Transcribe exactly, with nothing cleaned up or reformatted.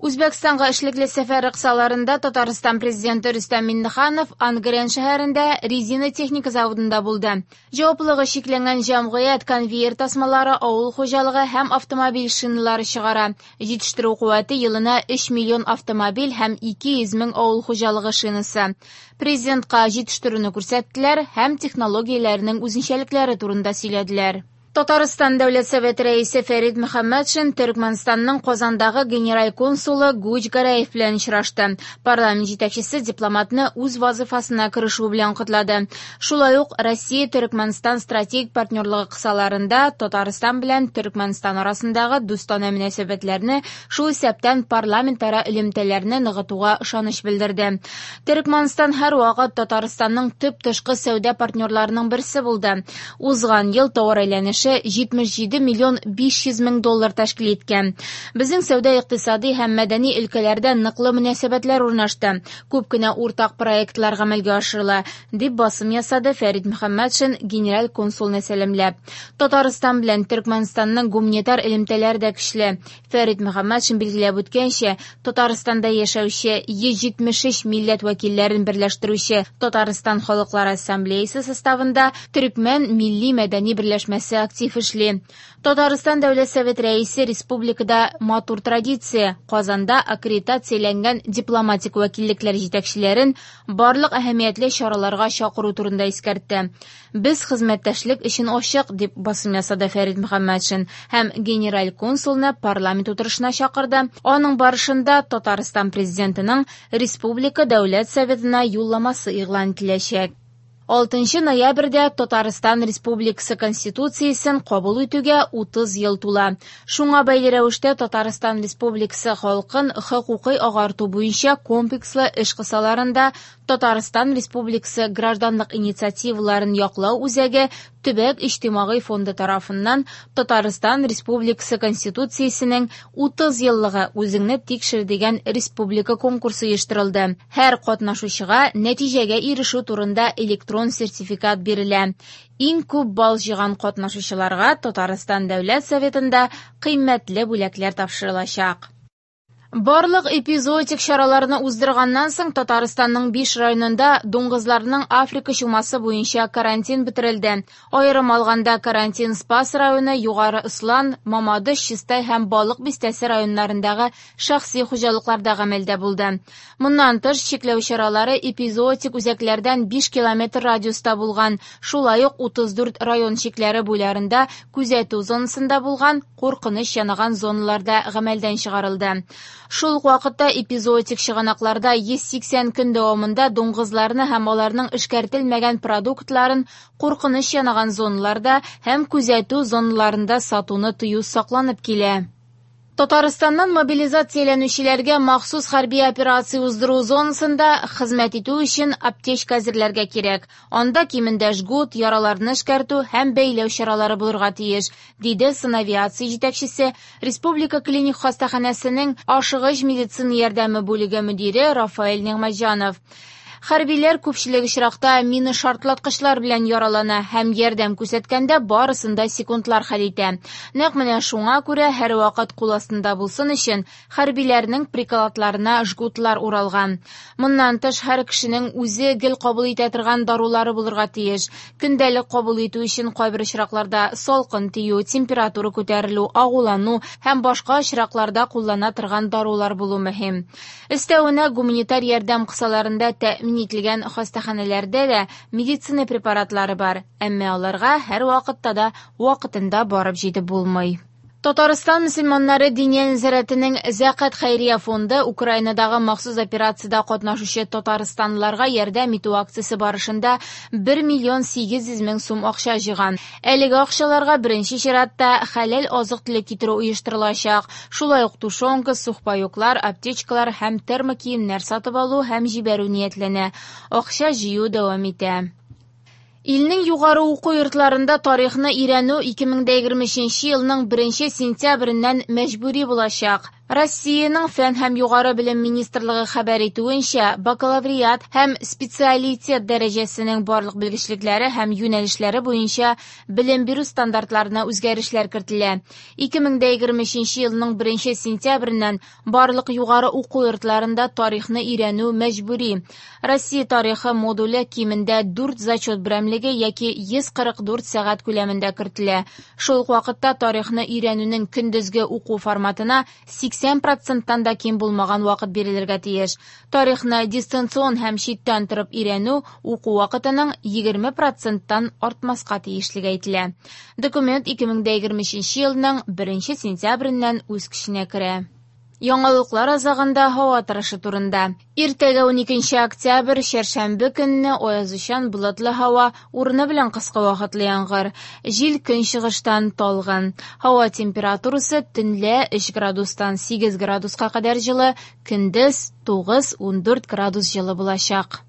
Үзбәкстанга эшлекле сәфәре кысаларында Татарстан президенты Рөстәм Миңнеханов Ангрен шәһәрендә резина техника заводында булды. Җаваплылыгы чикләнгән җәмгыять конвейер тасмалары, авыл хуҗалыгы һәм автомобиль шиналары чыгара. Җитештерү куәте елына өч миллион автомобиль һәм ике йөз мең авыл хуҗалыгы шинасы. Президентка җитештерүне күрсәттеләр һәм технологияләрнең үзенчәлекләре турында сөйләделәр. Татарстан Дәүләт Советы рәисе Фәрит Мөхәммәтшин Төркмәнстанның Казандагы генераль консулы Гуч Гараев белән очрашты. Парламент җитәкчесе дипломатны үз вазифасына керешү белән котлады. Шулай ук Россия Төркмәнстан стратегик партнерлыгы кысаларында Татарстан белән Төркмәнстан арасындагы дустанә мөнәсәбәтләрне, шул исәптән парламентара элемтәләрне ныгытуга ышаныч белдерде. Төркмәнстан һәрвакыт Татарстанның төп тышкы сәүдә партнерларының берсе булды. Узган ел товар әйләнеше җитмеш җиде миллион биш йөз мең доллар тәшкил иткән. Безнең сәүдә, икътисади һәм мәдәни өлкәләрдә ныклы мөнәсәбәтләр урнашты. Күп кенә уртак проектлар гамәлгә ашырыла, дип басым ясады Фәрит Мөхәммәтшин генераль консулны сәламләп. Татарстан белән Төркмәнстанның гуманитар элемтәләре дә көчле. Фәрит Мөхәммәтшин билгеләп үткәнчә, Татарстанда яшәүче йөз җитмеш өч милләт вәкилләрен берләштерүче Татарстан Халыклар Ассамблеясы составында Төркмән милли мәдәни берләшмәсе актив эшли. Татарстан Дәүләт Совет рәисе республикада матур традиция, Казанда аккредитацияләнгән дипломатик вәкиллекләр җитәкчеләрен барлык әһәмиятле чараларга чакыру турында искәртте. Без хезмәттәшлек өчен ачык, дип басым ясады Фәрит Мөхәммәтшин һәм генераль консулны парламент утырышына чакырды. Аның барышында Татарстан президентының Республика Дәүләт Советына юлламасы игълан ителәчәк. Алтынчы ноябрьдә Татарстан Республикасы Конституциясен кабул итүгә утыз ел тула. Шуңа бәйле рәвештә Татарстан Республикасы халкын хокукый агарту буенча комплекслы эш кысаларында Татарстан Республикасы гражданлык инициативаларын яклау үзәге Төбәк иҗтимагый фонды тарафыннан Татарстан Республикасы Конституциясенең утыз еллыгы үзеңне тикшер дигән республика конкурсы оештырылды. Һәр катнашучыга нәтиҗәгә ирешү турында электрон сертификат бирелә. Иң күп балл җыйган катнашучыларга Татарстан Дәүләт Советында кыйммәтле бүләкләр тапшырылачак. Барлык эпизоотик чараларны уздырганнан соң Татарстанның биш районында дуңгызларның Африка чумасы буенча карантин бетерелде. Аерым алганда карантин Спас районы, Югары Ослан, Мамадыш, Чистай һәм Балык бистәсе районнарындагы шәхси хуҗалыкларда гамәлдә булды. Моннан тыш чикләү чаралары эпизоотик үзәкләрдән биш километр радиуста булган, шулай ук утыз дүрт район чикләре буйларында күзәтү зонасында булган куркыныч янаган зоналарда гамәлдән чыгарылды. Шул ук вакытта эпизоотик чыганакларда йөз сиксән көн дәвамында дуңгызларны һәм аларның эшкәртелмәгән продуктларын куркыныч янаган зоналарда һәм күзәтү зоналарында сатуны тыю сакланып килә. Татарстаннан мобилизацияләнүчеләргә махсус хәрби операция уздыру зонасында хезмәт итү өчен аптечка әзерләргә кирәк. Анда кимендә жгут, яраларны эшкәртү һәм бәйләү чаралары булырга тиеш, диде санавиация җитәкчесе, Республика клиник хастаханәсенең ашыгыч медицина ярдәме бүлеге мөдире Рафаэль Нигъмәтҗанов. Хәрбиләр күпчелек очракта мина шартлаткычлар белән яралана һәм ярдәм күрсәткәндә барысын да секундлар хәл итә. Нәкъ менә шуңа күрә һәрвакыт кул астында булсын өчен хәрбиләрнең прикладларына жгутлар уралган. Моннан тыш һәр кешенең үзе гел кабул итә торган дарулары булырга тиеш. Көндәлек кабул итү өчен кайбер очракларда салкын тию, температура күтәрелү, агулану һәм башка очракларда куллана торган дарулар булу мөһим. Өстәвенә гуманитар ярдәм кысаларында тәэмин ителгән хастаханәләрдә дә медицина препаратлары бар, әмма аларга һәр вакытта да вакытында барып җитеп булмый. Татарстан мөселманнары Диния нәзарәтенең Зәкат хәйрия фонды Украинадагы махсус операциядә катнашучы татарстанлыларга ярдәм итү акциясе барышында бер миллион сигез йөз мең сум акча җыйган. Әлеге акчаларга беренче чиратта хәләл азык-төлек китерү оештырылачак. Шулай ук тушенка, сухпайоклар, аптечкалар һәм термокиемнәр сатып алу һәм җибәрү ниятләнә. Акча җыю дәвам итә. Илнең югары уку йортларында тарихны өйрәнү ике мең дә егерме өченче елның беренче сентябреннән мәҗбүри булачак. Россиянең фән һәм югары белем министрлыгы хәбәр итүенчә, бакалавриат һәм специалитет дәрәҗәсенең барлык белгечлекләре һәм юнәлешләре буенча белем бирү стандартларына үзгәрешләр кертелә. ике мең дә егерме өченче елның беренче сентябреннән барлык югары уку йортларында тарихны өйрәнү мәҗбүри. Россия тарихы модуле кимендә дүрт зачет берәмлеге яки йөз кырык дүрт сәгать күләмендә кертелә. Шул ук вакытта тарихны өйрәнүнең көндезге уку форматына сиксән проценттан да ким булмаган вакыт бирелергә тиеш. Тарихны дистанцион һәм читтән торып өйрәнү уку вакытының егерме проценттан артмаска тиешлеге әйтелә. Документ ике мең дә егерме өченче елның беренче сентябреннән үз көченә керә. Яңалыклар азагында һава торышы турында. Иртәгә уникенче октябрь, чәршәмбе көнне аязучан болытлы һава, урыны белән кыска вакытлы яңгыр. Җил көнчыгыштан талгын. Һава температурасы төнлә өч градустан сигез градуска кадәр җылы, көндез тугыз-ундүрт градус җылы булачак.